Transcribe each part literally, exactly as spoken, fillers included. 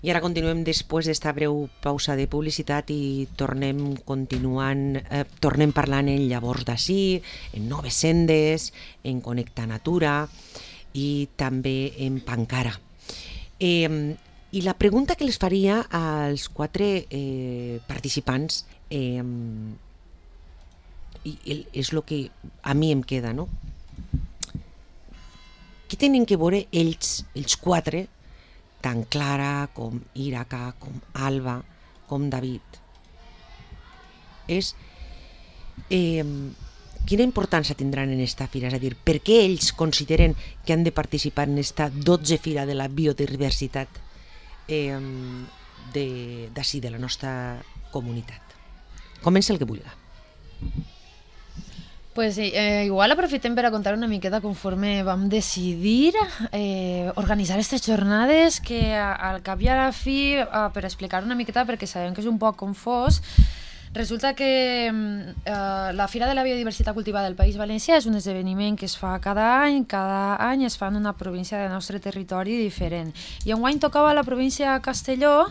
I ara continuem després d'esta breu pausa de publicitat i tornem continuant, eh, tornem parlant en Llavors d'ací, en Noves Sendes, en Connecta Natura i també en Pancara. Eh, I la pregunta que les faria als quatre eh, participants eh, i és el que a mi em queda, no? Què tenen que veure ells, els quatre, tant Clara com Íraca, com Alba, com David? És eh, quina importància tindran en esta fira? És a dir, per què ells consideren que han de participar en esta dotze fira de la biodiversitat eh, d'ací, de, de la nostra comunitat? Comença el que vulgui. Pues eh, igual aprofitem per a contar una miqueta conforme vam decidir eh, organitzar aquestes jornades que al cap i a la fi, eh, per explicar una miqueta perquè sabem que és un poc confós, resulta que eh, la Fira de la Biodiversitat Cultivada del País Valencià és un esdeveniment que es fa cada any, cada any es fa en una província del nostre territori diferent. I enguany tocava la província de Castelló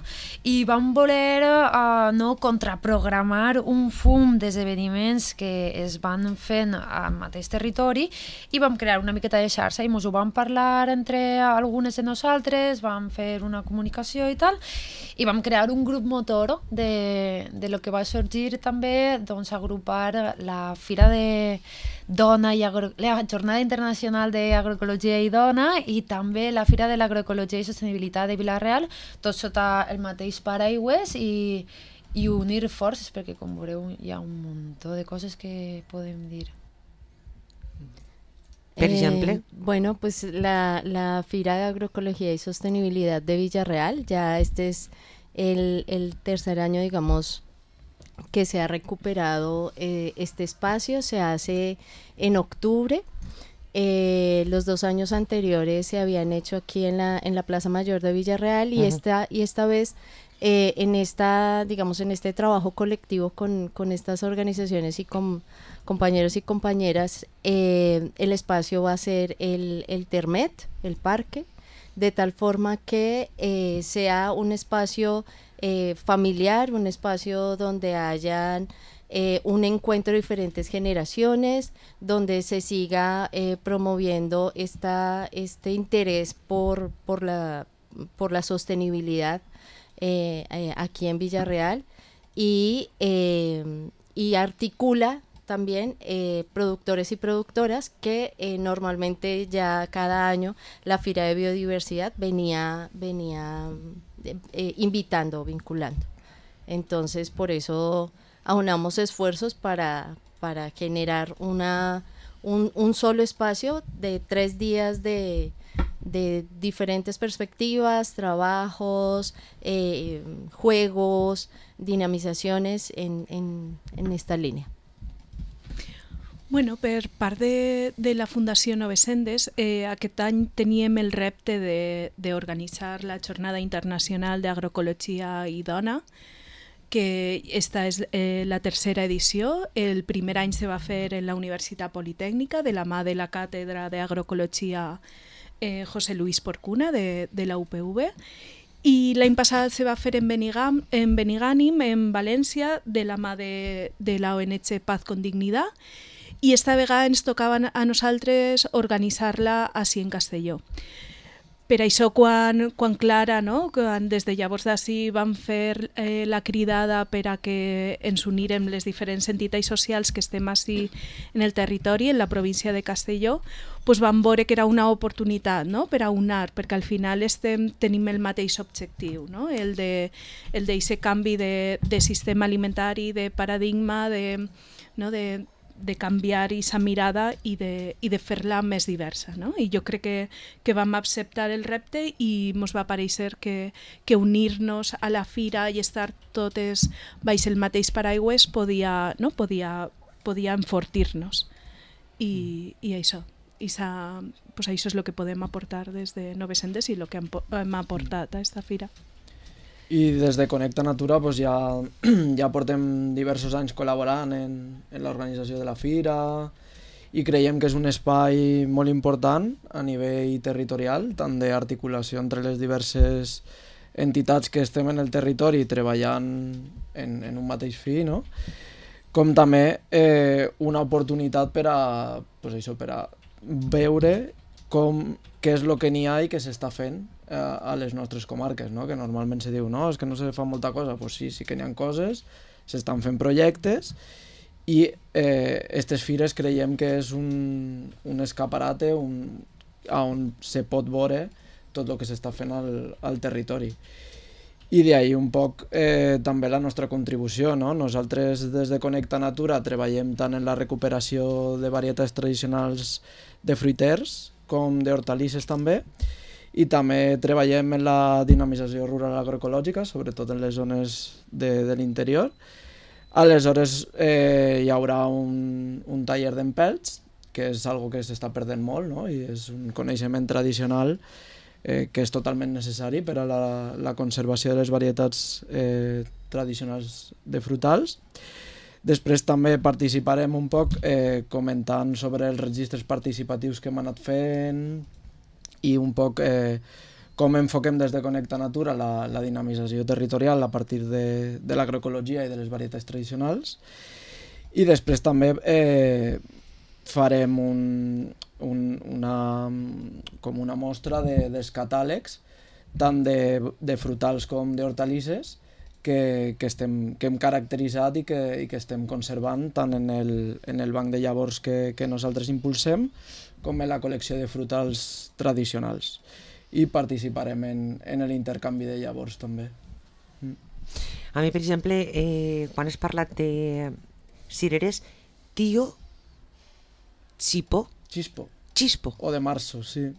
i vam voler eh, no contraprogramar un fum d'esdeveniments que es van fent al mateix territori i vam crear una miqueta de xarxa i ens ho vam parlar entre algunes de nosaltres, vam fer una comunicació i tal, i vam crear un grup motor de, de lo que va sorgir també, doncs, agrupar la Fira de Dona i Agro... la Jornada Internacional d'Agroecologia i Dona i també la Fira de l'Agroecologia i Sostenibilitat de Vila-real, tot sota el mateix paraigües i, i unir forces, perquè com veureu hi ha un munt de coses que podem dir. Per exemple? Eh, bueno, pues la, la Fira de Agroecología y Sostenibilidad de Villarreal, ya este es el, el tercer año, digamos, que se ha recuperado eh, este espacio, se hace en octubre. Eh, los dos años anteriores se habían hecho aquí en la, en la Plaza Mayor de Villarreal y, uh-huh. esta, y esta vez eh, en esta, digamos, en este trabajo colectivo con, con estas organizaciones y con compañeros y compañeras, eh, el espacio va a ser el, el Termet, el parque, de tal forma que eh, sea un espacio eh, familiar, un espacio donde hayan eh, un encuentro de diferentes generaciones, donde se siga eh, promoviendo esta, este interés por, por, la, por la sostenibilidad eh, eh, aquí en Villarreal y, eh, y articula también eh, productores y productoras que eh, normalmente ya cada año la Fira de Biodiversidad venía, venía eh, invitando, vinculando. Entonces por eso aunamos esfuerzos para, para generar una, un, un solo espacio de tres días de, de diferentes perspectivas, trabajos, eh, juegos, dinamizaciones en, en, en esta línea. Bueno, per part de, de la Fundació Noves Sendes, eh, aquest any teníem el repte d'organitzar la Jornada Internacional d'Agroecologia i Dona, que esta és eh, la tercera edició. El primer any se va fer en la Universitat Politècnica, de la mà de la Càtedra d'Agroecologia eh, José Luis Porcuna, de, de la U P V, i l'any passat se va fer en, Benigam, en Benigànim, en València, de la mà de, de la O N G Paz con Dignidad, i esta vegada ens tocava a nosaltres organitzar-la així en Castelló. Per això, quan, quan Clara, no, quan des de llavors d'ací vam fer eh, la cridada per a que ens unirem les diferents entitats socials que estem així en el territori, en la província de Castelló, pues vam veure que era una oportunitat, no?, per a unar, perquè al final estem, tenim el mateix objectiu, no?, el de el d'aquest canvi de, de sistema alimentari, de paradigma, de, no, de de canviar aquesta mirada i de, i de fer-la més diversa, no? I jo crec que, que vam acceptar el repte i ens va parèixer que, que unir-nos a la fira i estar totes baix el mateix paraigües podia, no? podia, podia enfortir-nos. I, i això. I pues això és el que podem aportar des de Noves Sendes i el que hem, hem aportat a aquesta fira. I des de Connecta Natura pues ja, ja portem diversos anys col·laborant en, en l'organització de la fira i creiem que és un espai molt important a nivell territorial, tant d'articulació entre les diverses entitats que estem en el territori treballant en, en un mateix fi, no? Com també eh, una oportunitat per a, pues això, per a veure com, què és el que n'hi ha i què s'està fent eh, a les nostres comarques, no? Que normalment se diu, no, és que no se fa molta cosa. Pues sí, sí que n'hi ha coses, s'estan fent projectes i eh, aquestes fires creiem que és un, un escaparate un, on se pot veure tot el que s'està fent al, al territori. I d'ahir un poc eh, també la nostra contribució, no? Nosaltres des de Connecta Natura treballem tant en la recuperació de varietats tradicionals de fruiters com d'hortalisses també, i també treballem en la dinamització rural agroecològica, sobretot en les zones de, de l'interior. Aleshores eh, hi haurà un, un taller d'empelts, que és algo que s'està perdent molt, no? I és un coneixement tradicional Eh, que és totalment necessari per a la, la conservació de les varietats eh, tradicionals de frutals. Després també participarem un poc eh, comentant sobre els registres participatius que hem anat fent i un poc eh, com enfoquem des de Connecta Natura la, la dinamització territorial a partir de, de l'agroecologia i de les varietats tradicionals. I després també eh, farem un, un, una, com una mostra de, dels catàlegs tant de, de frutals com d'hortalisses que, que, estem, que hem caracteritzat i que, i que estem conservant tant en el, en el banc de llavors que, que nosaltres impulsem com en la col·lecció de frutals tradicionals. I participarem en, en l'intercanvi de llavors també. Mm. A mi, per exemple, eh, quan has parlat de cireres, tio Xipo? Xispo. Xispo. O de marzo, sí.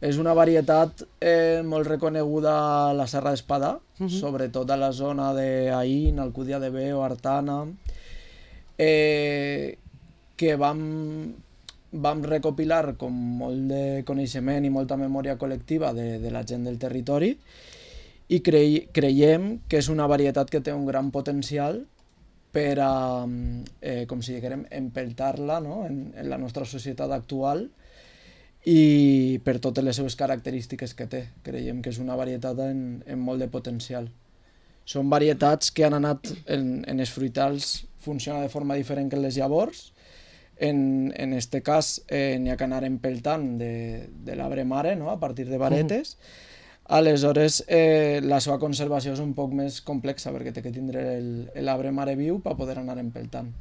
És una varietat eh, molt reconeguda a la Serra d'Espadà, uh-huh. sobretot a la zona d'Aín, Alcúdia de Veo, Artana, eh, que vam, vam recopilar com molt de coneixement i molta memòria col·lectiva de, de la gent del territori i crei, creiem que és una varietat que té un gran potencial per a, eh, com si diguem, empeltar-la, no? en, en la nostra societat actual i per totes les seves característiques que té. Creiem que és una varietat en, en molt de potencial. Són varietats que han anat, en, en els fruitals funciona de forma diferent que en les llavors. En, en este cas eh, n'hi ha que anar empeltant de, de l'arbre mare, no? A partir de varetes. Mm. Aleshores, eh, la seva conservació és un poc més complexa perquè té que tindre l'arbre mare viu per poder anar empeltant.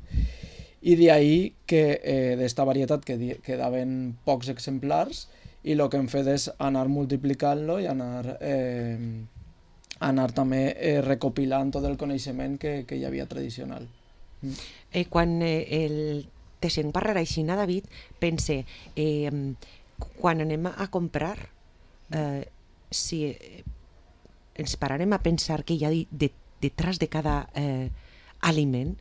I d'ahir que eh, d'esta varietat que quedaven pocs exemplars i el que hem fet és anar multiplicant-lo i anar, eh, anar també eh, recopilant tot el coneixement que, que hi havia tradicional. Mm. Eh, quan eh, el te sent parlar així, David, pense, eh, quan anem a comprar, eh, si eh, ens pararem a pensar que hi ha de, detrás de cada eh, aliment,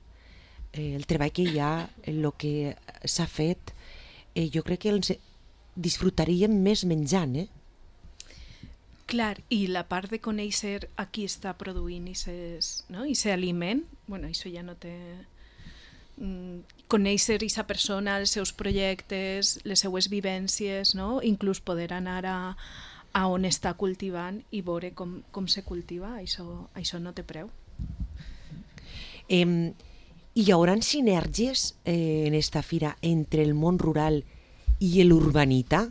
eh, el treball que hi ha, el que s'ha fet, eh, jo crec que els disfrutaríem més menjant, eh? Clar, i la part de conèixer a qui està produint aquest no? aliment, bueno, això ja no té... Mm, conèixer aquesta persona, els seus projectes, les seues vivències, no? Inclús poder anar a a on està cultivant i veure com, com se cultiva, això, això no té preu. Eh, hi haurà sinergies eh, en esta fira entre el món rural i l'urbanita,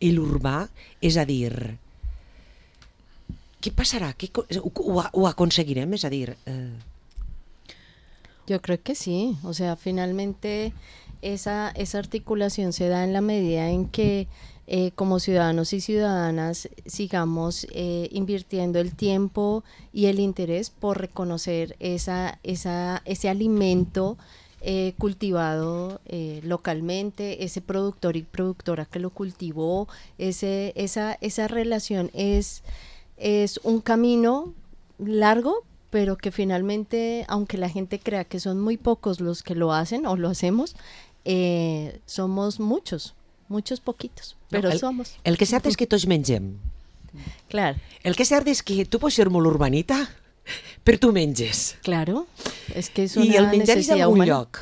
l'urbà, és a dir, què passarà? Què, ho, ho aconseguirem? És a dir... Eh... Yo creo que sí, o sea, finalmente esa, esa articulación se da en la medida en que Eh, como ciudadanos y ciudadanas sigamos eh, invirtiendo el tiempo y el interés por reconocer esa, esa, ese alimento eh, cultivado eh, localmente, ese productor y productora que lo cultivó, ese, esa, esa relación es, es un camino largo, pero que finalmente, aunque la gente crea que son muy pocos los que lo hacen o lo hacemos, eh, somos muchos. Muchos poquitos, però no, el, somos. El que cert és que tots mengem. Clar. El que cert és que tu pots ser molt urbanita, però tu menges. Claro, és que és una I el menjar és d'algun lloc.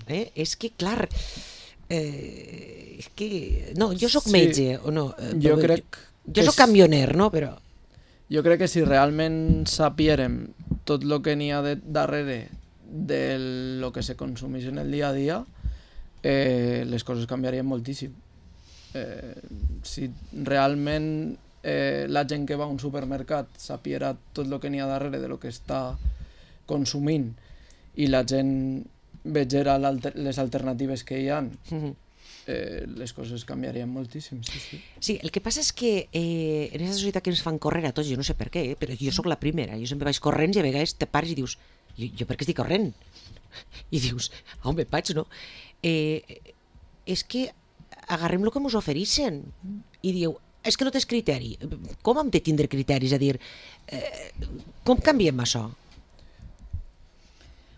Eh? És que, clar, eh, és que... No, jo sóc sí, metge, o no? Jo crec... Jo, jo sóc camioner, no? Però... jo crec que si realment sapiérem tot el que n'hi ha de, darrere de lo que se consumeix en el dia a dia, eh, les coses canviarien moltíssim. Eh, si realment eh, la gent que va a un supermercat sapiera tot el que n'hi ha darrere de lo que està consumint i la gent vegera les alternatives que hi ha, eh, les coses canviarien moltíssim. Sí, sí. Sí, el que passa és que eh, en aquesta societat que ens fan córrer a tots, jo no sé per què, eh, però jo sóc la primera, jo sempre vaig corrents i a vegades te pares i dius, jo, jo per què estic corrent? I dius, on me vaig, no? Eh, és que agarrem el que ens ofereixen i diu, és que no tens criteri. Com hem de tindre criteris? És a dir, eh, com canviem això?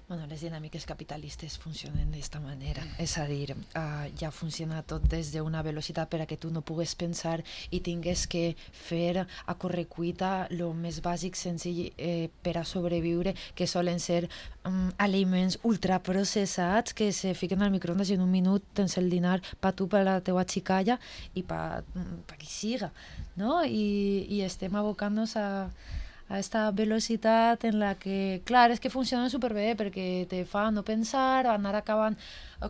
Bueno, les dinàmiques capitalistes funcionen d'esta manera, és a dir, uh, ja funciona tot des d'una velocitat per a que tu no pugues pensar i tingues que fer a correcuita el més bàsic, senzill eh, per a sobreviure, que solen ser um, aliments ultraprocessats que se fiquen al microondes i en un minut tens el dinar per tu, per la teua xicalla i per pa qui siga, no? I, i estem abocant-nos a a esta velocitat en la que, clar, és que funciona superbé perquè te fa no pensar, anar acabant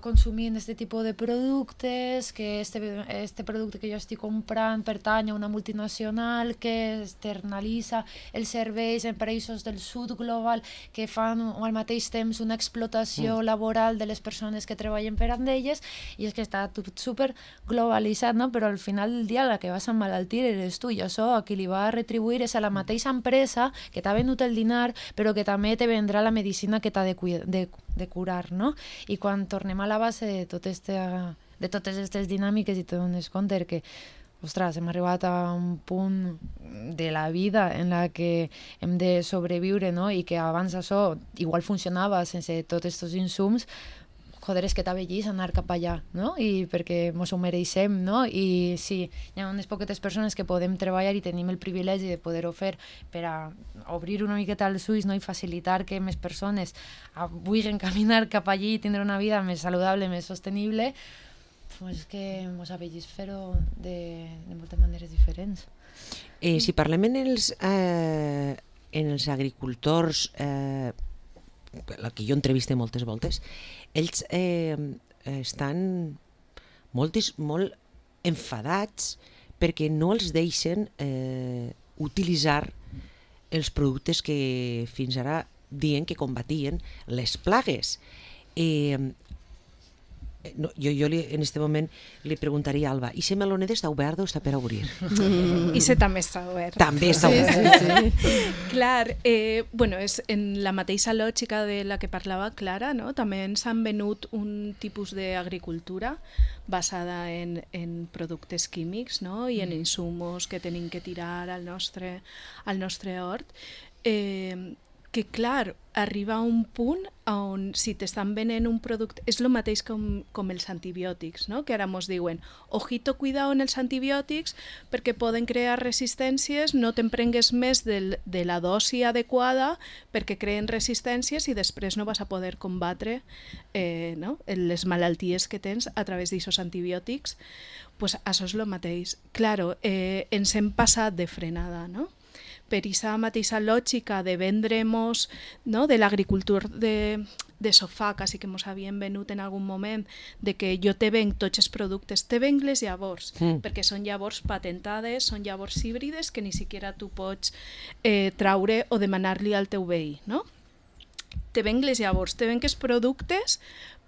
consumint aquest tipus de productes, que este, este producte que jo estic comprant pertany a una multinacional que externalitza els serveis en països del sud global que fan al mateix temps una explotació mm. laboral de les persones que treballen per amb elles, i és que està tot super globalitzat, no? Però al final del dia la que vas a emmalaltir eres tu, i això a qui li va a retribuir és a la mateixa empresa que t'ha venut el dinar, però que també te vendrà la medicina que t'ha de, de, de curar, no? I quan tornem a la base de, tot este, de totes aquestes dinàmiques i te dones compte que, ostres, hem arribat a un punt de la vida en la que hem de sobreviure, no? I que abans això igual funcionava sense tots aquests insums, joder, és que t'avellís anar cap allà, no? I perquè mos ho mereixem, no? I sí, hi ha unes poquetes persones que podem treballar i tenim el privilegi de poder-ho fer per a obrir una miqueta els ulls, no? I facilitar que més persones vulguin caminar cap allí i tindre una vida més saludable, més sostenible, pues que mos avellís fer-ho de, de moltes maneres diferents. Eh, si parlem en els, eh, en els agricultors, eh, la que jo entreviste moltes voltes, ells eh, estan molt, molt enfadats perquè no els deixen eh, utilitzar els productes que fins ara diuen que combatien les plagues. Eh, no, jo jo li, en aquest moment li preguntaria a Alba, i si melonet està obert o està per obrir? I se també està obert. També està obert. Sí, sí, sí. Clar, eh, bueno, és en la mateixa lògica de la que parlava Clara, no? També ens han venut un tipus d'agricultura basada en, en productes químics, no? I en insumos que tenim que tirar al nostre, al nostre hort. Eh, que clar, arriba a un punt on si t'estan venent un producte, és el mateix com, com els antibiòtics, no? Que ara mos diuen, ojito, cuidado en els antibiòtics perquè poden crear resistències, no te'n prengues més del, de la dosi adequada perquè creen resistències i després no vas a poder combatre eh, no? les malalties que tens a través d'aquests antibiòtics. Pues això és el mateix. Claro, eh, ens hem passat de frenada, no? Per aquesta mateixa lògica de vendre'ns, no? De l'agricultura de, de sofà, quasi que ens havien venut en algun moment, de que jo te venc tots els productes, te venc les llavors, mm. perquè són llavors patentades, són llavors híbrides que ni siquiera tu pots eh, traure o demanar-li al teu veí, no? Te venc les llavors, te venc els productes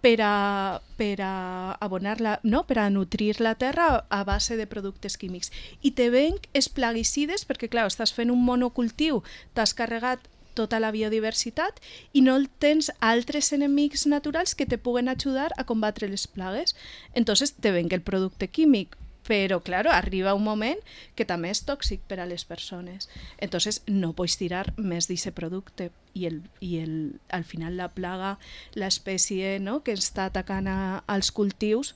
per a, per a abonar la, no? Per a nutrir la terra a base de productes químics. I te venc els plaguicides perquè, clar, estàs fent un monocultiu, t'has carregat tota la biodiversitat i no tens altres enemics naturals que te puguen ajudar a combatre les plagues. Entonces te venc el producte químic, però, claro, arriba un moment que també és tòxic per a les persones. Entonces no pots tirar més d'aquest producte i, el, i el, al final la plaga, l'espècie, no? Que està atacant a, als cultius,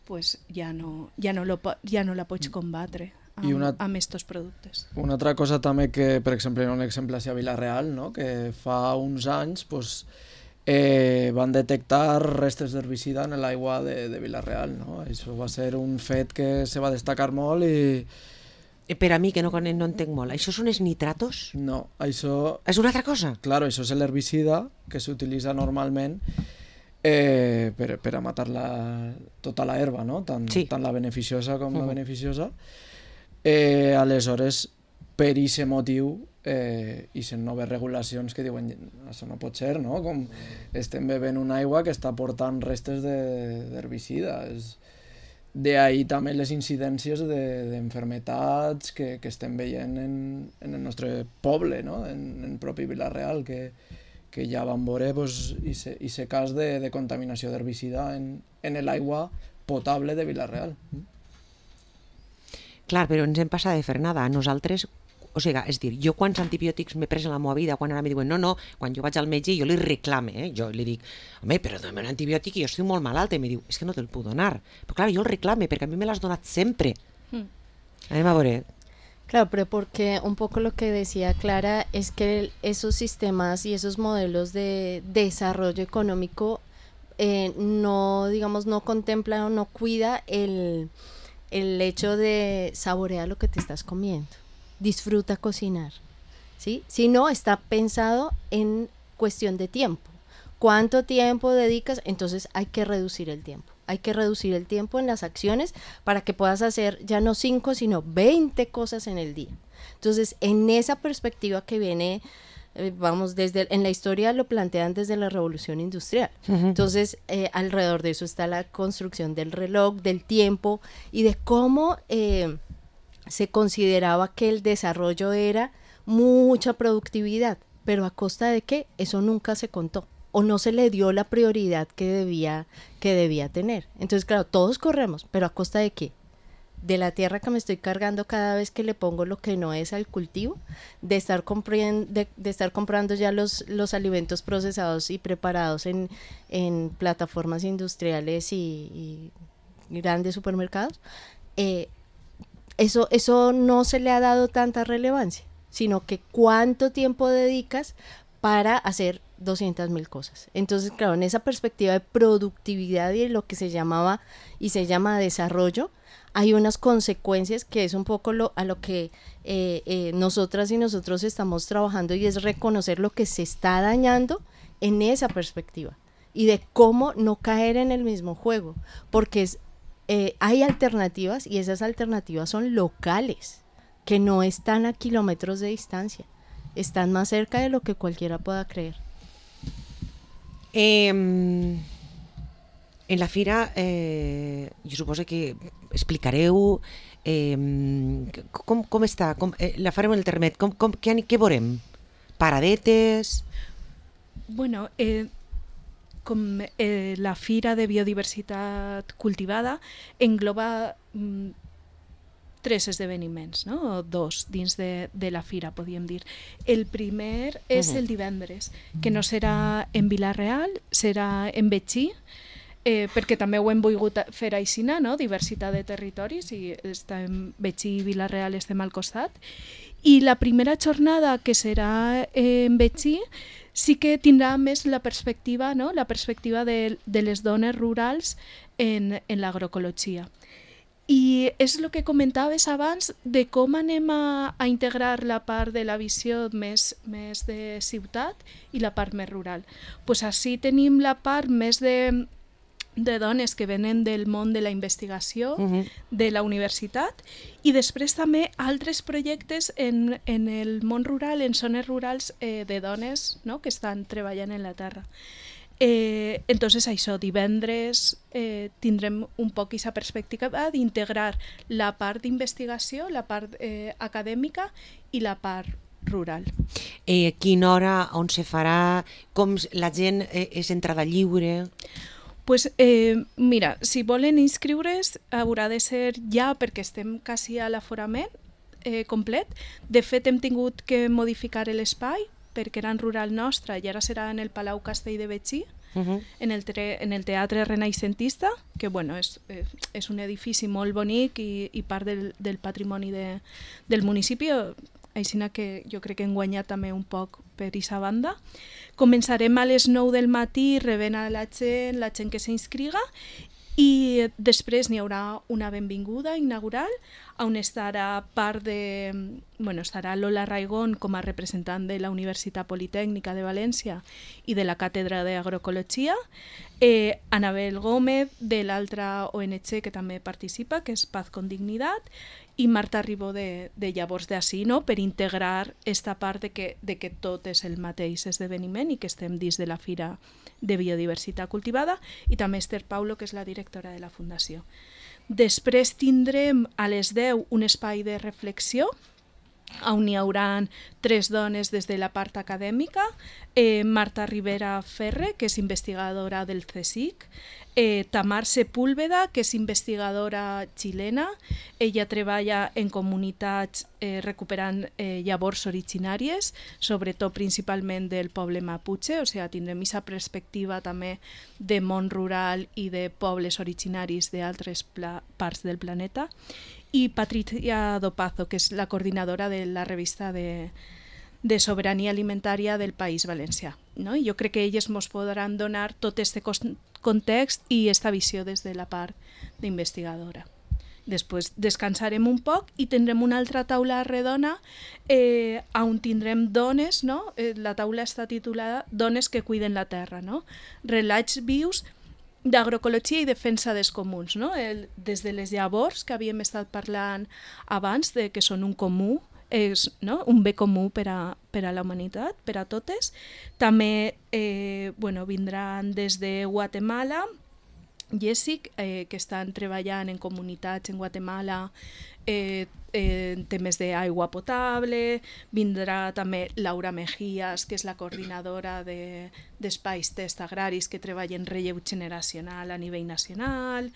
pues ja no, ja no, lo, ja no la pots combatre amb, una, amb estos productes. Una altra cosa també que, per exemple, un exemple a Vila-real, no? Que fa uns anys pues, eh, van detectar restes d'herbicida en l'aigua de, de Vila-real, no? Això va ser un fet que se va destacar molt i, Per a mi, que no, no entenc molt, això són els nitratos? No, això... És una altra cosa? Claro, això és l'herbicida que s'utilitza normalment eh, per, per a matar la, tota la herba, no? Tant, sí. tant la beneficiosa com uh-huh. la beneficiosa. Eh, aleshores, per aquest motiu, eh, i són noves regulacions que diuen això no pot ser, no? Com estem bevent una aigua que està portant restes d'herbicida. És... D'ahí també les incidències d'enfermetats que, que estem veient en, en el nostre poble, no? en, en propi Vila-real, que, que ja vam veure pues, aquest cas de, de contaminació d'herbicida en, en l'aigua potable de Vila-real. Clar, però ens hem passat de fer nada. Nosaltres, o sigui, és dir, jo quants antibiòtics m'he pres en la meva vida, quan ara em diuen no, no, quan jo vaig al metge jo li reclame, eh? Jo li dic, home, però dame un antibiòtic i jo estic molt malalt, i em diu, és que no te'l puc donar. Però clar, jo el reclame, perquè a mi me l'has donat sempre. Mm. Anem a veure. Claro, pero porque un poco lo que decía Clara es que esos sistemas y esos modelos de desarrollo económico eh, no, digamos, no contemplan o no cuida el, el hecho de saborear lo que te estás comiendo. Disfruta cocinar, ¿sí? Si no, está pensado en cuestión de tiempo. ¿Cuánto tiempo dedicas? Entonces hay que reducir el tiempo. Hay que reducir el tiempo en las acciones para que puedas hacer ya no cinco, sino veinte cosas en el día. Entonces, en esa perspectiva que viene, eh, vamos, desde en la historia lo plantean desde la Revolución Industrial. Uh-huh. Entonces, eh, alrededor de eso está la construcción del reloj, del tiempo y de cómo... Eh, se consideraba que el desarrollo era mucha productividad, pero ¿a costa de qué? Eso nunca se contó, o no se le dio la prioridad que debía, que debía tener. Entonces, claro, todos corremos, pero ¿a costa de qué? De la tierra que me estoy cargando cada vez que le pongo lo que no es al cultivo, de estar, compren- de, de estar comprando ya los, los alimentos procesados y preparados en, en plataformas industriales y, y grandes supermercados. Eh, Eso, eso no se le ha dado tanta relevancia, sino que cuánto tiempo dedicas para hacer doscientas mil cosas. Entonces, claro, en esa perspectiva de productividad y lo que se llamaba y se llama desarrollo, hay unas consecuencias que es un poco lo, a lo que eh, eh, nosotras y nosotros estamos trabajando, y es reconocer lo que se está dañando en esa perspectiva y de cómo no caer en el mismo juego, porque es Eh, hay alternativas, y esas alternativas son locales, que no están a kilómetros de distancia, están más cerca de lo que cualquiera pueda creer. Eh, en la fira, eh, jo suposo que explicareu eh, com, com està, com, eh, la farem el termet, com, com, què, què veurem? Paradetes? Bueno, eh, com eh, la Fira de Biodiversitat Cultivada engloba mm, tres esdeveniments, no? O dos dins de, de la fira, podríem dir. El primer és uh-huh. el divendres, que no serà en Vila-real, serà en Betxí, eh, perquè també ho hem volgut fer aixina, no? Diversitat de territoris, i està en Betxí i Vila-real estem al costat. I la primera jornada, que serà en Betxí, sí que tindrà més la perspectiva, no? La perspectiva de, de les dones rurals en, en l'agroecologia. I és el que comentaves abans de com anem a, a integrar la part de la visió més, més de ciutat i la part més rural. Pues així tenim la part més de, de dones que venen del món de la investigació, uh-huh. de la universitat, i després també altres projectes en, en el món rural, en zones rurals eh, de dones, no?, que estan treballant en la terra. Eh, entonces això, divendres eh, tindrem un poc aquesta perspectiva d'integrar la part d'investigació, la part eh, acadèmica i la part rural. Eh, quina hora, on se farà, com la gent eh, és entrada lliure? Pues eh, mira, si volen inscriure's haurà de ser ja, perquè estem quasi a l'aforament eh, complet. De fet, hem tingut que modificar l'espai, perquè era en rural nostra i ara serà en el Palau Castell de Betxí, uh-huh. en, el tre, en el Teatre Renaixentista, que bueno, és, és un edifici molt bonic i, i part del, del patrimoni de, del municipi, així que jo crec que hem guanyat també un poc per aquesta banda. Començarem a les nou del matí rebent a la gent, la gent que s'inscriga, i després n'hi haurà una benvinguda inaugural on estarà part de... Bueno, estarà Lola Raigón com a representant de la Universitat Politècnica de València i de la Càtedra d'Agroecologia, eh, Anabel Gómez de l'altra O N G que també participa, que és Paz con Dignidad, i Marta Ribó de, de Llavors d'Ací, no? Per integrar esta part de que, de que tot és el mateix esdeveniment i que estem dins de la Fira de Biodiversitat Cultivada, i també Esther Paulo, que és la directora de la Fundació. Després tindrem a les deu un espai de reflexió on hi haurà tres dones des de la part acadèmica, eh, Marta Rivera Ferre, que és investigadora del CSIC, eh, Tamar Sepúlveda, que és investigadora xilena, ella treballa en comunitats eh, recuperant eh, llavors originàries, sobretot principalment del poble Mapuche, o sigui, tindrem aquesta perspectiva també de món rural i de pobles originaris d'altres parts del planeta, i Patricia Dopazo, que és la coordinadora de la revista de, de Sobirania Alimentària del País Valencià. No? I jo crec que elles ens podran donar tot aquest context i aquesta visió des de la part d'investigadora. Després descansarem un poc i tindrem una altra taula redona eh, on tindrem dones, no? Eh, la taula està titulada Dones que cuiden la terra, no? Relats vius d'agroecologia i defensa dels comuns, no? El, des de les llavors que havíem estat parlant abans de que són un comú, és, no? Un bé comú per a, per a la humanitat, per a totes. També eh, bueno, vindran des de Guatemala, Jessic, eh, que estan treballant en comunitats en Guatemala eh, eh, en temes d'aigua potable. Vindrà també Laura Mejías, que és la coordinadora de, d'espais test agraris que treballa en relleu generacional a nivell nacional,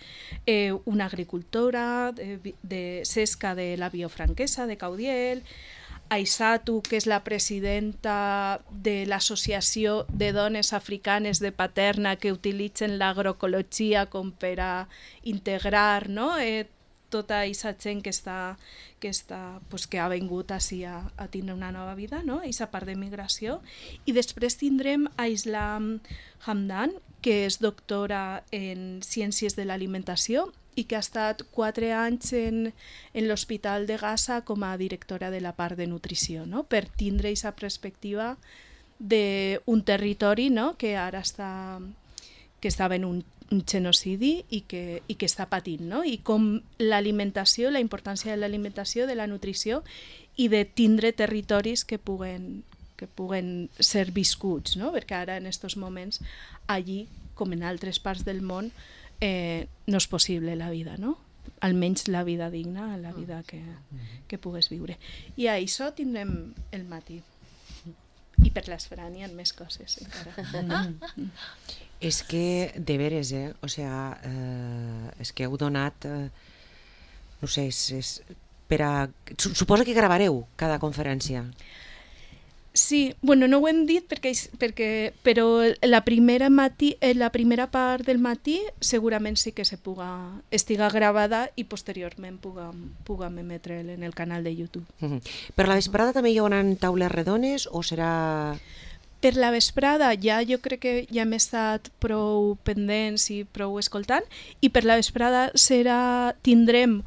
eh, una agricultora de, de Sesca de la Biofranquesa de Caudiel, Aisatu, que és la presidenta de l'Associació de Dones Africanes de Paterna que utilitzen l'agroecologia com per a integrar, no? eh, tota aquesta gent que, està, que, està, pues, que ha vingut així a, a tindre una nova vida, no? Aquesta part de migració. I després tindrem a Islam Hamdan, que és doctora en Ciències de l'Alimentació i que ha estat quatre anys en, en l'Hospital de Gaza com a directora de la part de nutrició, no? Per tindre aquesta perspectiva d'un territori, no? que ara està, que estava en un, un genocidi i que, i que està patint, no? I com l'alimentació, la importància de l'alimentació, de la nutrició i de tindre territoris que puguen, que puguen ser viscuts, no? Perquè ara en aquests moments allí, com en altres parts del món, Eh, no és possible la vida, no? Almenys la vida digna, la vida que, que pugues viure. I a això tindrem el matí. I per l'esperan hi ha més coses encara. Mm. És que, de veres, eh? O sea, eh, és que heu donat, eh, no sé, és, és per a... Suposo que gravareu cada conferència. Sí, bueno, no ho hem dit perquè, perquè però la primera matí, la primera part del matí segurament sí que se puga, estiga gravada i posteriorment puguem, puguem emetre en el canal de YouTube. Mm-hmm. Per la vesprada també hi haurà taules redones o serà... Per la vesprada ja jo crec que ja hem estat prou pendents i prou escoltant, i per la vesprada serà, tindrem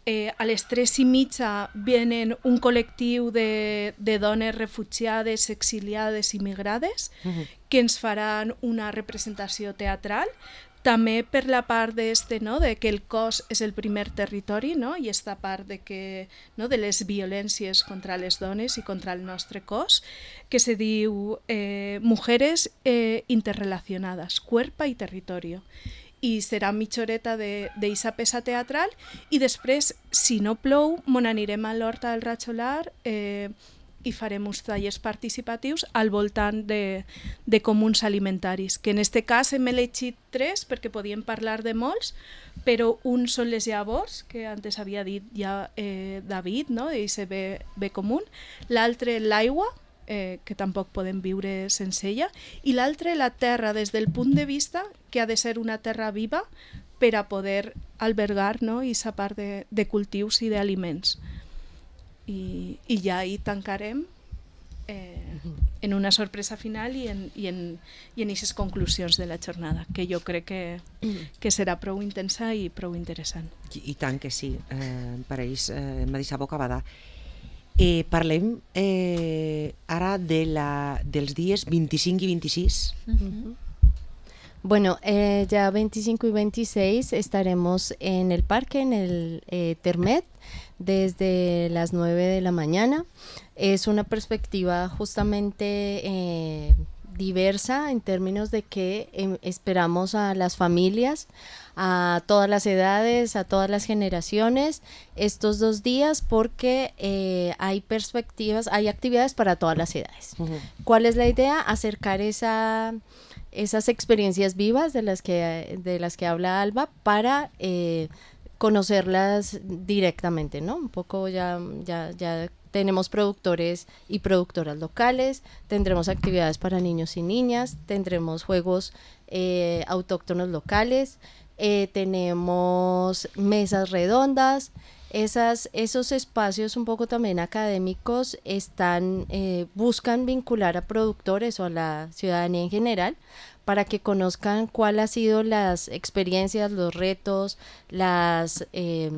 Eh, a les tres i mitja venen un col·lectiu de, de dones refugiades, exiliades i migrades uh-huh. que ens faran una representació teatral. També per la part d'este, no? De que el cos és el primer territori, no? I esta part de, que, no? de les violències contra les dones i contra el nostre cos, que se diu eh, Mujeres eh, interrelacionades, cuerpo i territorio. I serà mitja horeta d'eixa peça teatral i després, si no plou, mon anirem a l'Horta del Ratxolar eh, i farem uns tallers participatius al voltant de, de comuns alimentaris, que en este cas hem elegit tres perquè podíem parlar de molts, però un són les llavors, que antes havia dit ja eh, David, no? Eixe bé, bé comú, l'altre l'aigua, Eh, que tampoc podem viure sense ella, i l'altre la terra des del punt de vista que ha de ser una terra viva per a poder albergar, no? I sa part de, de cultius i d'aliments. I, i ja hi tancarem eh, en una sorpresa final i en, i en, i en aquestes conclusions de la jornada, que jo crec que, que serà prou intensa i prou interessant. I, i tant que sí, eh, em pareix, eh, m'ha deixat boca bada. Eh, parlem eh, ara de la, dels dies vint-i-cinc i vint-i-sis. Uh-huh. Bueno, eh, ya veinticinco y veintiséis estaremos en el parque, en el eh, Termet, desde las nueve de la mañana. Es una perspectiva justamente eh, diversa en términos de que eh, esperamos a las familias, a todas las edades, a todas las generaciones, estos dos días porque eh, hay perspectivas, hay actividades para todas las edades. Uh-huh. ¿Cuál es la idea? Acercar esa... esas experiencias vivas de las que, de las que habla Alba para eh, conocerlas directamente, ¿no? Un poco ya, ya, ya tenemos productores y productoras locales, tendremos actividades para niños y niñas, tendremos juegos eh, autóctonos locales, eh, tenemos mesas redondas. Esas, esos espacios un poco también académicos están, eh, buscan vincular a productores o a la ciudadanía en general para que conozcan cuáles han sido las experiencias, los retos, las eh,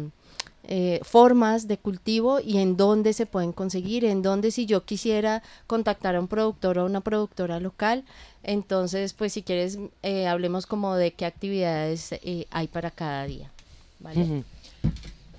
eh, formas de cultivo y en dónde se pueden conseguir, en dónde si yo quisiera contactar a un productor o a una productora local, entonces pues si quieres eh, hablemos como de qué actividades eh, hay para cada día, ¿vale? Uh-huh.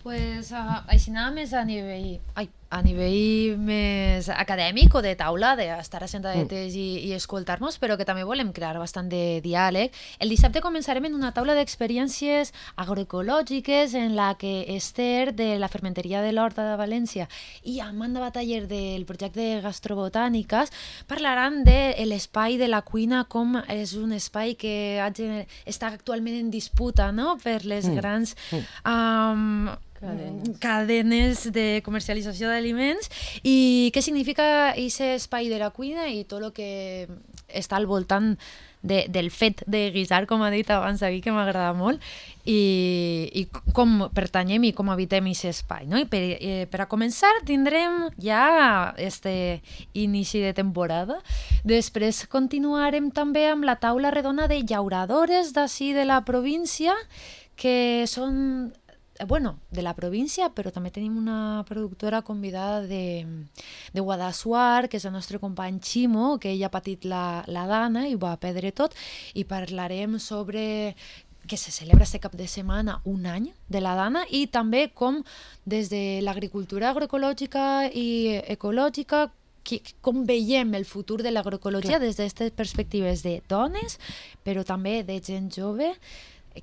Pues uh, així nada més a nivell, ai, a nivell més acadèmic o de taula, d'estar assentadetes mm. i, i escoltar-nos, però que també volem crear bastant de diàleg. El dissabte començarem en una taula d'experiències agroecològiques en la que Esther, de la fermenteria de l'Horta de València, i Amanda Bataller, del projecte Gastrobotàniques, parlaran de l'espai de la cuina, com és un espai que està actualment en disputa, no?, per les mm. grans... Um, Cadenes. cadenes de comercialització d'aliments i què significa aquest espai de la cuina i tot el que està al voltant de, del fet de guisar, com ha dit abans David, que m'agrada molt, i, i com pertanyem i com habitem aquest espai, no? I per, eh, per a començar tindrem ja este inici de temporada. Després continuarem també amb la taula redona de llauradores d'ací de la província, que són... bueno, de la província, però també tenim una productora convidada de, de Guadassuar, que és el nostre company Ximo, que ella ha patit la, la dana i ho va perdre tot, i parlarem sobre que se celebra este cap de setmana un any de la dana i també com des de l'agricultura agroecològica i ecològica com veiem el futur de l'agroecologia des d'aquestes perspectives de dones, però també de gent jove,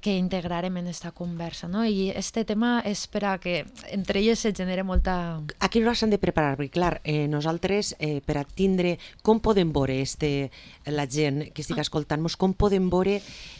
que integrarem en esta conversa, no? I este tema és per a que entre elles se genere molta... Aquí no s'han de preparar, perquè clar, eh, nosaltres eh, per a tindre com podem veure este, la gent que estigui escoltant-nos, com podem veure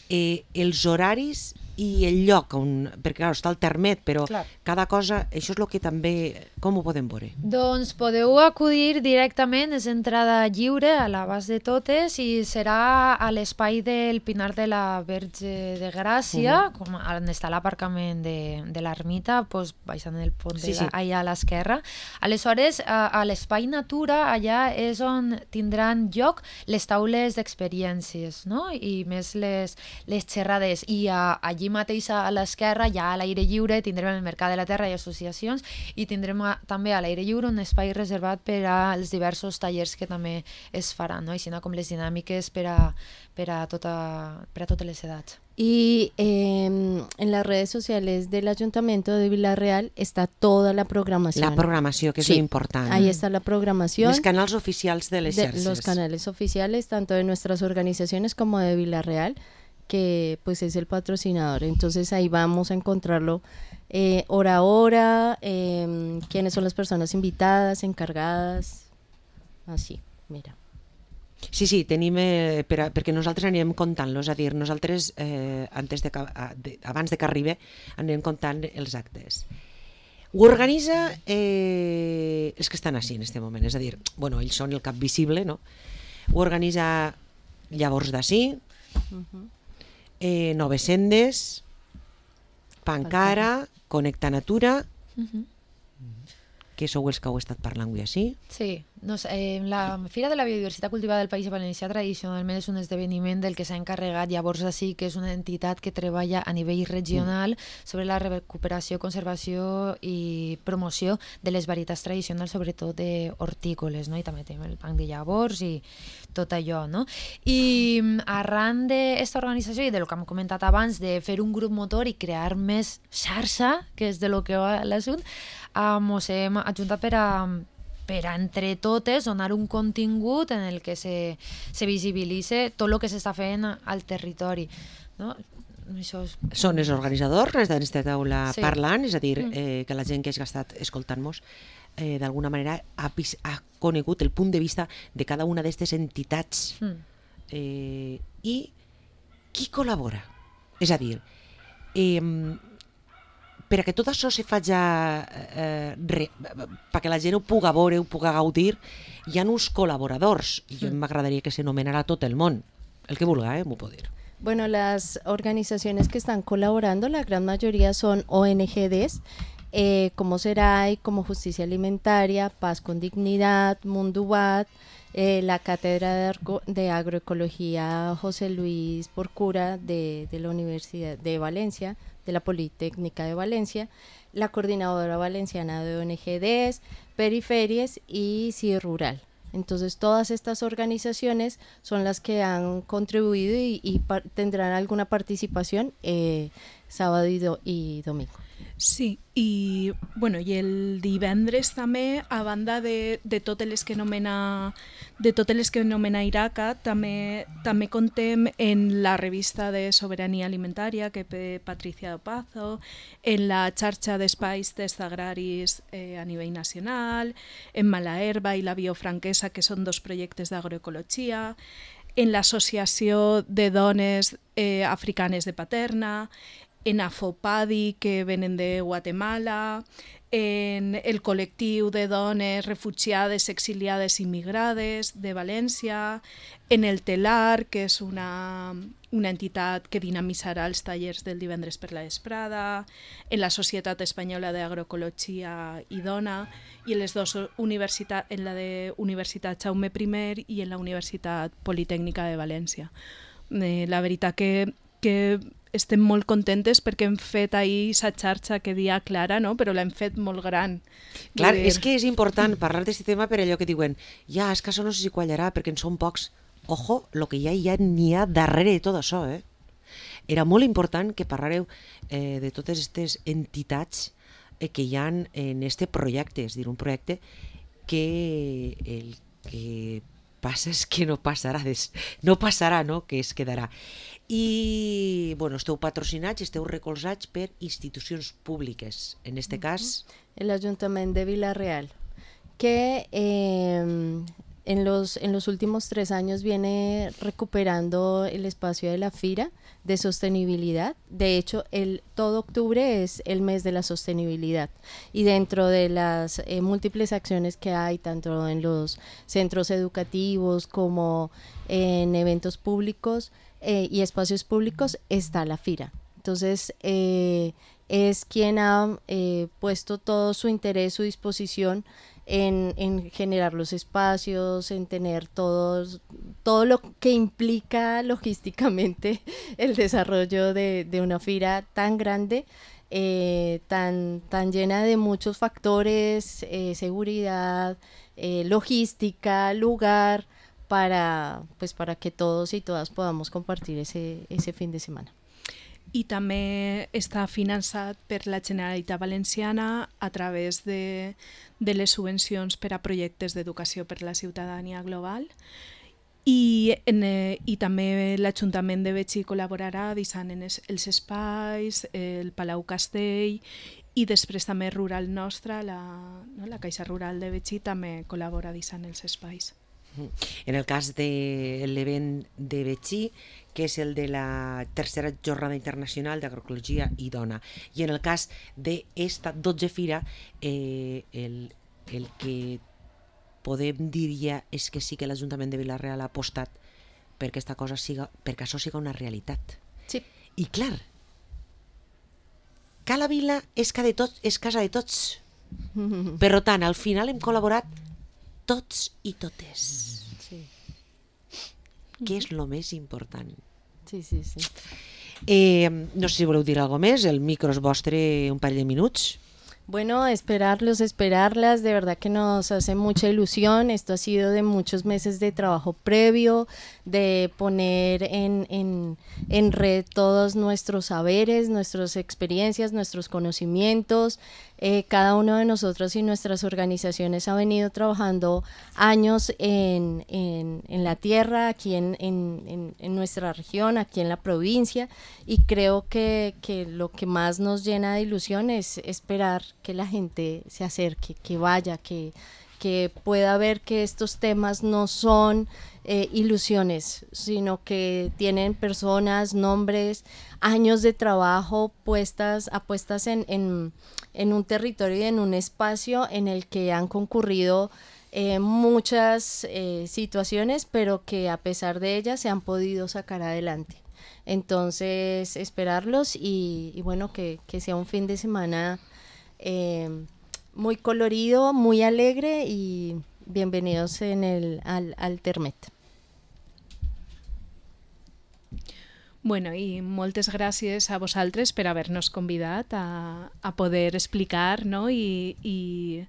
eh, els horaris i el lloc on, perquè clar, està el Termet, però clar, cada cosa, això és el que també, com ho podem veure? Doncs podeu acudir directament, és entrada lliure a l'abast de totes i serà a l'espai del Pinar de la Verge de Gràcia, uh-huh. com on està l'aparcament de, de l'ermita, doncs baixant el pont sí, sí. allà a l'esquerra. Aleshores, a, a l'espai Natura, allà és on tindran lloc les taules d'experiències, no? I més les, les xerrades, i a, allí allí mateix a l'esquerra, ja a l'aire lliure, tindrem el Mercat de la Terra i associacions i tindrem a, també a l'aire lliure un espai reservat per als diversos tallers que també es faran, no? Així com les dinàmiques per a, per a, tota, per a totes les edats. Y eh, en las redes sociales del Ayuntamiento de Vila-real está toda la programación. La programación, que es sí, lo importante. Ahí está la programación. Los canales oficiales de las de, Los canales oficiales, tanto de nuestras organizaciones como de Vila-real, que pues es el patrocinador. Entonces ahí vamos a encontrarlo eh, hora a hora, eh, quiénes son las personas invitadas, encargadas, así, mira. Sí, sí, tenim, eh, per a, perquè nosaltres anirem contant-los, és a dir, nosaltres eh, antes de, de, abans de que arribi anirem contant els actes. Ho organitza eh, els que estan així en aquest moment, és a dir, bueno, ells són el cap visible, no? Ho organitza Llavors d'ací, uh-huh. eh, Noves Sendes, Pancara, Connecta Natura, uh-huh. que sou els que heu estat parlant avui així. Sí, No sé, eh, la Fira de la Biodiversitat Cultivada del País Valencià tradicionalment és un esdeveniment del que s'ha encarregat llavors així, que és una entitat que treballa a nivell regional sobre la recuperació, conservació i promoció de les varietats tradicionals, sobretot d'hortícoles, no? I també tenim el banc de llavors i tot allò, no? I arran d'esta organització i del que hem comentat abans, de fer un grup motor i crear més xarxa, que és de lo que va l'assumpte, ens hem ajuntat per a per a entre totes donar un contingut en el que se, se visibilitze tot el que s'està fent al territori, no? Això és... Són els organitzadors d'aquesta taula Sí. parlant, és a dir, eh, que la gent que hagi estat escoltant-nos eh, d'alguna manera ha, vis- ha conegut el punt de vista de cada una d'aquestes entitats Mm. eh, i qui col·labora. És a dir, eh, per a que tot això se faci eh, re, perquè la gent ho puga veure, ho puga gaudir, hi ha uns col·laboradors, i jo m'agradaria que s'anomenara tot el món, el que vulga, eh, m'ho pot dir. Bueno, las organizaciones que están colaborando, la gran mayoría son O N G Ds, eh, como SERAI, como Justicia Alimentaria, Paz con Dignidad, Mundubat, eh, la Cátedra de, Arco- de Agroecología José Luis Porcura de, de la Universidad de Valencia, de la Politécnica de Valencia, la Coordinadora Valenciana de O N G Ds, Periferias y C I Rural. Entonces todas estas organizaciones son las que han contribuido y, y par- tendrán alguna participación eh, sábado y, do- y domingo. Sí, i, bueno, i el divendres també, a banda de, de totes les que nomena de totes les que nomena Iraca, també, també contem en la revista de Sobirania Alimentària que té Patricia Pazo, en la xarxa d'espais tests agraris eh, a nivell nacional, en Malaherba i la Biofranquesa, que són dos projectes d'agroecologia, en l'Associació de Dones eh, Africanes de Paterna, en Afopadi, que venen de Guatemala, en el col·lectiu de dones refugiades, exiliades i migrades de València, en el Telar, que és una, una entitat que dinamitzarà els tallers del divendres per la vesprada, en la Societat Espanyola d'Agroecologia i Dona, i en les dues universitats, en la de Universitat Jaume I i en la Universitat Politècnica de València. Eh, la veritat que, que estem molt contentes perquè hem fet ahir sa xarxa que dia Clara, no? Però l'hem fet molt gran. Clar, Vull dir- és que és important parlar d'aquest tema per allò que diuen ja, és que això no sé si quallarà perquè en són pocs. Ojo, lo que ja hi ha, n'hi ha darrere de tot això, eh? Era molt important que parlareu eh, de totes aquestes entitats eh, que hi ha en este projecte, és a dir, un projecte que el que passa és que no passarà, des, no passarà, no? Que es quedarà. I, bueno, esteu patrocinats, esteu recolzats per institucions públiques, en este cas... El Ayuntamiento de Villarreal, que eh, en, los, en los últimos tres años viene recuperando el espacio de la Fira de sostenibilidad. De hecho, el, todo octubre es el mes de la sostenibilidad y dentro de las eh, múltiples acciones que hay, tanto en los centros educativos como en eventos públicos eh, y espacios públicos, está la Fira. Entonces, eh, es quien ha eh, puesto todo su interés, su disposición en, en generar los espacios, en tener todos, todo lo que implica logísticamente el desarrollo de, de una fira tan grande, eh, tan, tan llena de muchos factores, eh, seguridad, eh, logística, lugar, para, pues, para que todos y todas podamos compartir ese, ese fin de semana. I també està finançat per la Generalitat Valenciana a través de, de les subvencions per a projectes d'educació per la ciutadania global i, en, eh, i també l'Ajuntament de Betxí col·laborarà deixant en els, els espais, el Palau Castell i després també Rural Nostra, la, no, la Caixa Rural de Betxí també col·labora deixant els espais. En el cas de l'event de Betxí, que és el de la tercera jornada internacional d'agroecologia i dona, i en el cas d'esta dotze fira, eh, el, el que podem dir ja és que sí que l'Ajuntament de Vila-real ha apostat perquè aquesta cosa siga, perquè això siga una realitat. Sí. I clar, Cala Vila és, de tots, és casa de tots. Per tant, al final hem col·laborat tots i totes, Sí, que és el més important. sí, sí, sí. Eh, no sé si voleu dir alguna més, el micro és vostre un parell de minuts. Bueno, esperarlos, esperarlas, de verdad que nos hace mucha ilusión. Esto ha sido de muchos meses de trabajo previo, de poner en, en, en red todos nuestros saberes, nuestras experiencias, nuestros conocimientos. Eh, cada uno de nosotros y nuestras organizaciones ha venido trabajando años en, en, en la tierra, aquí en, en, en, en nuestra región, aquí en la provincia, y creo que, que lo que más nos llena de ilusión es esperar que la gente se acerque, que vaya, que, que pueda ver que estos temas no son eh, ilusiones, sino que tienen personas, nombres, años de trabajo puestas, apuestas en, en, en un territorio y en un espacio en el que han concurrido eh, muchas eh, situaciones, pero que a pesar de ellas se han podido sacar adelante. Entonces, esperarlos y, y bueno, que, que sea un fin de semana eh, muy colorido, muy alegre y bienvenidos en el, al, al Termet. Bueno, i moltes gràcies a vosaltres per haver-nos convidat a, a poder explicar, no? I, i,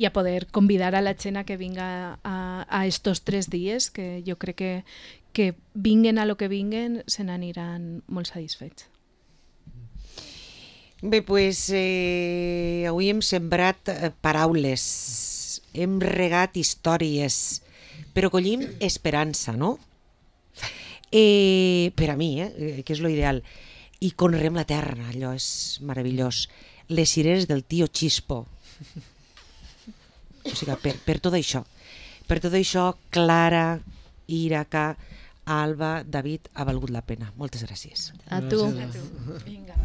i a poder convidar a la gent a que vinga a, a estos tres dies, que jo crec que, que vinguen a lo que vinguen se n'aniran molt satisfets. Bé, doncs eh, avui hem sembrat eh, paraules, hem regat històries, però collim esperança, no? Eh, per a mi, eh, que és lo ideal. I conreem la terra, allò és meravellós. Les cireres del tio Chispo. O sigui, per, per tot això. Per tot això, Clara, Iraca, Alba, David, ha valgut la pena. Moltes gràcies. A tu. A tu. Vinga.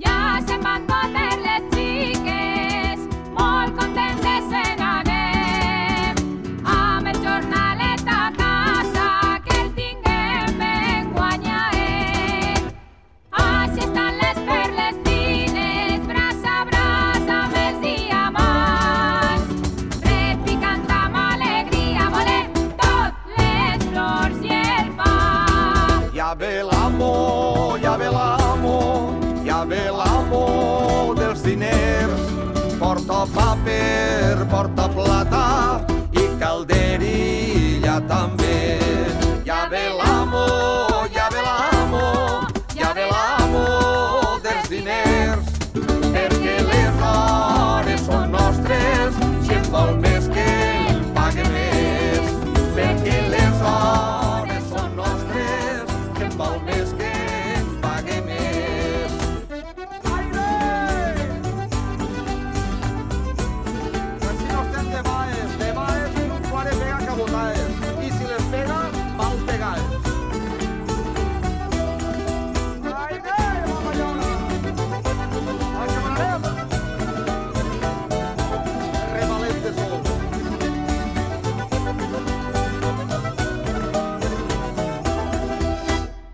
Ja se'n van totes les xiques, molt contentes se n'anem, amb el jornalet a casa, que el tinguem ben guanyaet. Així estan les perles fines, braç a braç amb els diamants, repicant amb alegria, volem tot les flors i el pa. Ja ve l'amo, ja ve l'amo, ja ve l'amo dels diners, porta paper